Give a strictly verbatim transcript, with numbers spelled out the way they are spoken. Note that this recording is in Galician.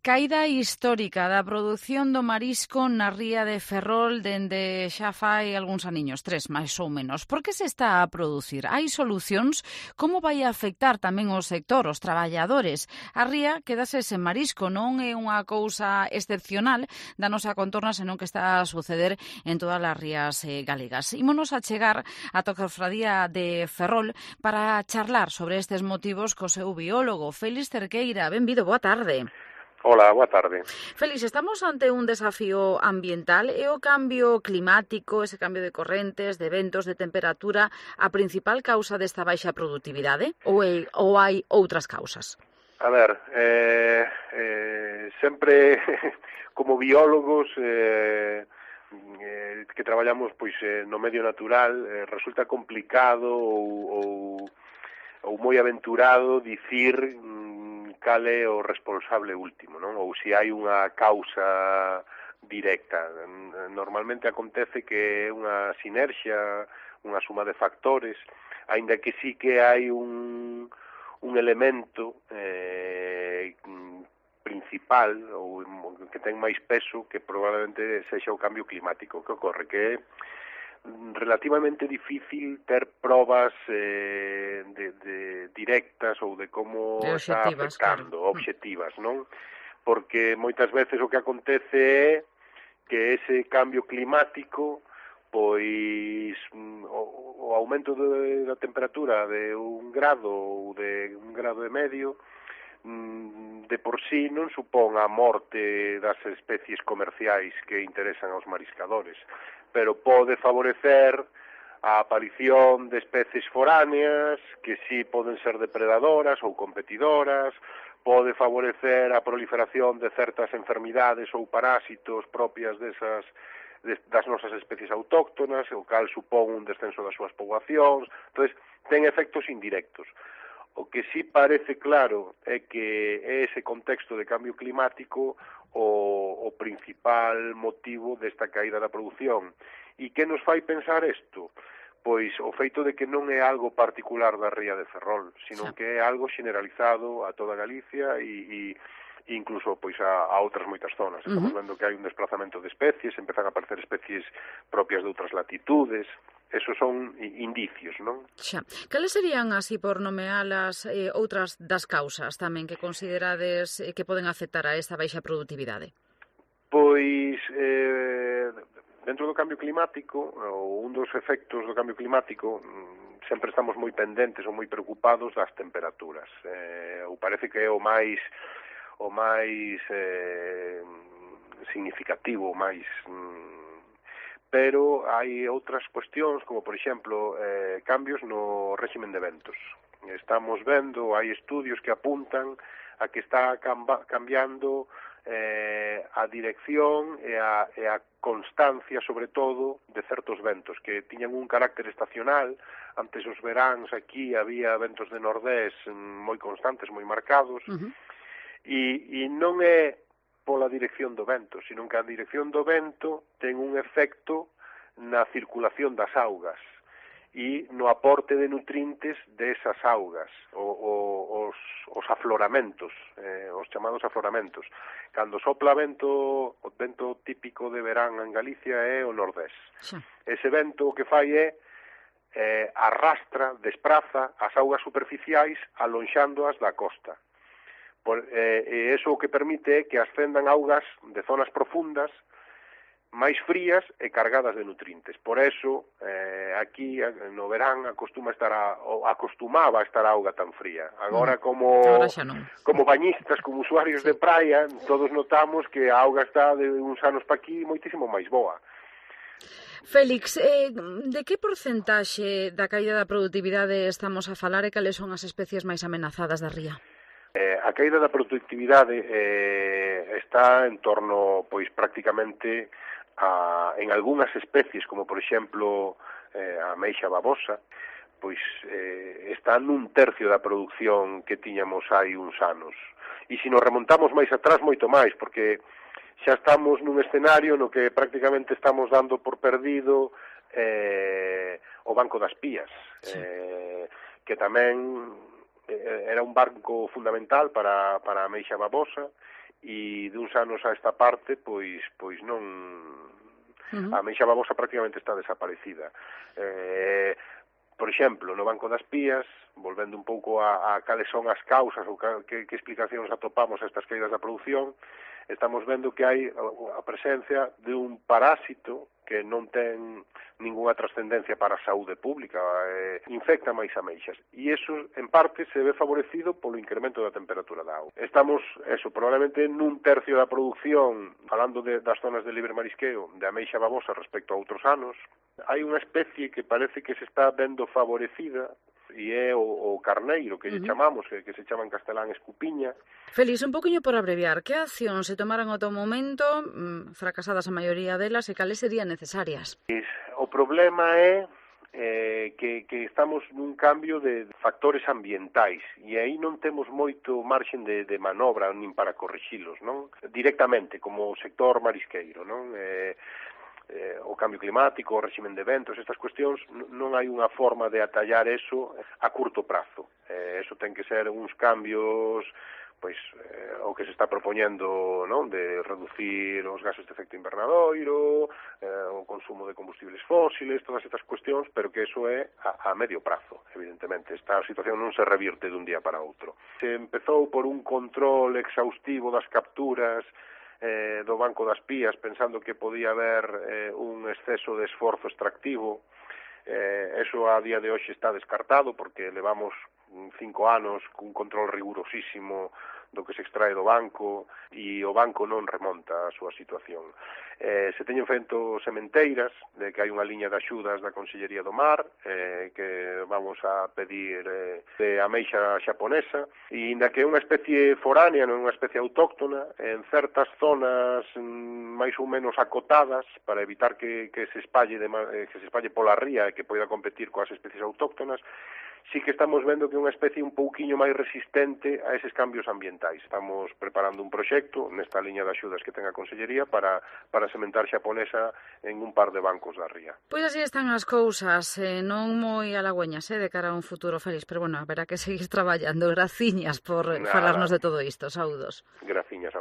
Caída histórica da produción do marisco na ría de Ferrol dende xa fai algúns aniños, tres máis ou menos. Por que se está a producir? Hai solucións? Como vai a afectar tamén o sector, os traballadores? A ría quedase sen marisco, non é unha cousa excepcional da nosa contorna, senón que está a suceder en todas as rías eh, galegas. Ímonos a chegar a Cofradía de Ferrol para charlar sobre estes motivos co seu biólogo, Félix Cerqueira. Benvido, boa tarde. Hola, boa tarde. Félix, estamos ante un desafío ambiental. É o cambio climático, ese cambio de correntes, de ventos, de temperatura, a principal causa desta baixa produtividade? Ou, é, ou hai outras causas? A ver, eh, eh, sempre como biólogos eh, eh, que traballamos pois eh, no medio natural, eh, resulta complicado ou, ou, ou moi aventurado dicir cal é o responsable último, non? Ou se hai unha causa directa. Normalmente acontece que é unha sinerxia, unha suma de factores, aínda que sí que hai un, un elemento eh, principal ou que ten máis peso que probablemente sexa o cambio climático. Que ocorre? Que é relativamente difícil ter probas eh, de, de directas ou de como de está afectando, claro. obxectivas, non? Porque moitas veces o que acontece é que ese cambio climático, pois o, o aumento de, da temperatura de un grado ou de un grado e medio, de por sí non supón a morte das especies comerciais que interesan aos mariscadores, pero pode favorecer a aparición de especies foráneas que sí poden ser depredadoras ou competidoras, pode favorecer a proliferación de certas enfermidades ou parásitos propias desas das nosas especies autóctonas, o cal supón un descenso das súas poboacións. Entón, ten efectos indirectos. O que sí parece claro é que é ese contexto de cambio climático o, o principal motivo desta caída da produción. E que nos fai pensar isto? Pois o feito de que non é algo particular da ría de Ferrol, sino que é algo generalizado a toda Galicia e, e incluso pois a, a outras moitas zonas. Estamos vendo que hai un desplazamento de especies, empezan a aparecer especies propias de outras latitudes. Esos son indicios, non? Xa. Cales serían, así por nomealas, eh, outras das causas tamén que considerades eh, que poden afectar a esta baixa produtividade? Pois, eh, dentro do cambio climático, ou un dos efectos do cambio climático, sempre estamos moi pendentes ou moi preocupados das temperaturas. Eh, ou parece que é o máis o máis eh, significativo, o máis... pero hai outras cuestións, como por exemplo, eh, cambios no réximen de ventos. Estamos vendo, hai estudios que apuntan a que está camba, cambiando eh, a dirección e a, e a constancia, sobre todo, de certos ventos, que tiñan un carácter estacional. Antes os veráns aquí había ventos de nordés moi constantes, moi marcados, uh-huh. e, e non é pola dirección do vento, sino que a dirección do vento ten un efecto na circulación das augas e no aporte de nutrientes desas augas, o, o, os, os afloramentos, eh, os chamados afloramentos. Cando sopla vento, o vento típico de verán en Galicia é o nordés. Sí. Ese vento o que fai é eh, arrastra, despraza as augas superficiais alonxándoas da costa. Por, eh, e iso o que permite é que ascendan augas de zonas profundas máis frías e cargadas de nutrientes. Por eso, eh, aquí no verán acostuma estar a, acostumaba a estar a auga tan fría. Agora, como, como bañistas, como usuarios de praia, todos notamos que a auga está de uns anos pa aquí moitísimo máis boa. Félix, eh, de que porcentaxe da caída da produtividade estamos a falar e cales son as especies máis amenazadas da ría? Eh, a caída da productividade eh, está en torno, pois, prácticamente a, en algunhas especies, como por exemplo eh, a ameixa babosa, pois eh, está nun tercio da produción que tiñamos hai uns anos. E se nos remontamos máis atrás, moito máis, porque xa estamos nun escenario no que prácticamente estamos dando por perdido eh, o Banco das Pías, sí. eh, que tamén era un banco fundamental para, para a ameixa babosa, e duns anos a esta parte, pois, pois non... Uh-huh. A ameixa babosa prácticamente está desaparecida. Eh, por exemplo, no Banco das Pías, volvendo un pouco a, a cales son as causas ou que, que explicacións atopamos a estas caídas da produción, estamos vendo que hai a presencia de un parásito que non ten ninguna trascendencia para a saúde pública, eh, infecta máis ameixas. E iso, en parte, se ve favorecido polo incremento da temperatura da auga. Estamos, eso, probablemente nun tercio da produción, falando de, das zonas de libre marisqueo, de ameixa babosa respecto a outros anos. Hai unha especie que parece que se está vendo favorecida, e é o, o carneiro, que uh-huh. lle chamamos, que, que se chama en castelán escupiña. Félix, un poquinho por abreviar, que accións se tomaron ao teu momento, mmm, fracasadas a maioría delas, e cales serían necesarias? O problema é eh, que, que estamos nun cambio de factores ambientais, e aí non temos moito marxen de, de manobra nin para corrixilos, non? Directamente, como o sector marisqueiro, non? Eh, Eh, o cambio climático, o réximen de ventos, estas cuestións, non hai unha forma de atallar eso a curto prazo. Eh, eso ten que ser uns cambios, pois, eh, o que se está propoñendo, non, de reducir os gases de efecto invernadoiro, eh, o consumo de combustibles fósiles, todas estas cuestións, pero que eso é a, a medio prazo, evidentemente. Esta situación non se revirte dun día para outro. Se empezou por un control exhaustivo das capturas Eh, do Banco das Pías, pensando que podía haber eh, un exceso de esforzo extractivo. Eh, eso a día de hoxe está descartado, porque levamos cinco anos cun control rigurosísimo do que se extrae do banco, e o banco non remonta a súa situación. Eh, se teñen feito sementeiras, de que hai unha liña de axudas da Consellería do Mar, eh, que vamos a pedir eh, de ameixa xaponesa, e inda que é unha especie foránea, non é unha especie autóctona, en certas zonas mm, máis ou menos acotadas, para evitar que, que se espalle de, eh, que se espalle pola ría e que poida competir coas especies autóctonas, sí que estamos vendo que é unha especie un pouquiño máis resistente a eses cambios ambientais. Estamos preparando un proxecto nesta liña de axudas que ten a Consellería para, para sementar xaponesa en un par de bancos da ría. Pois así están as cousas, eh, non moi halagüeñas, eh, de cara a un futuro feliz, pero bueno, haberá que seguir traballando. Graciñas por Nada. falarnos de todo isto. Saúdos. Graciñas a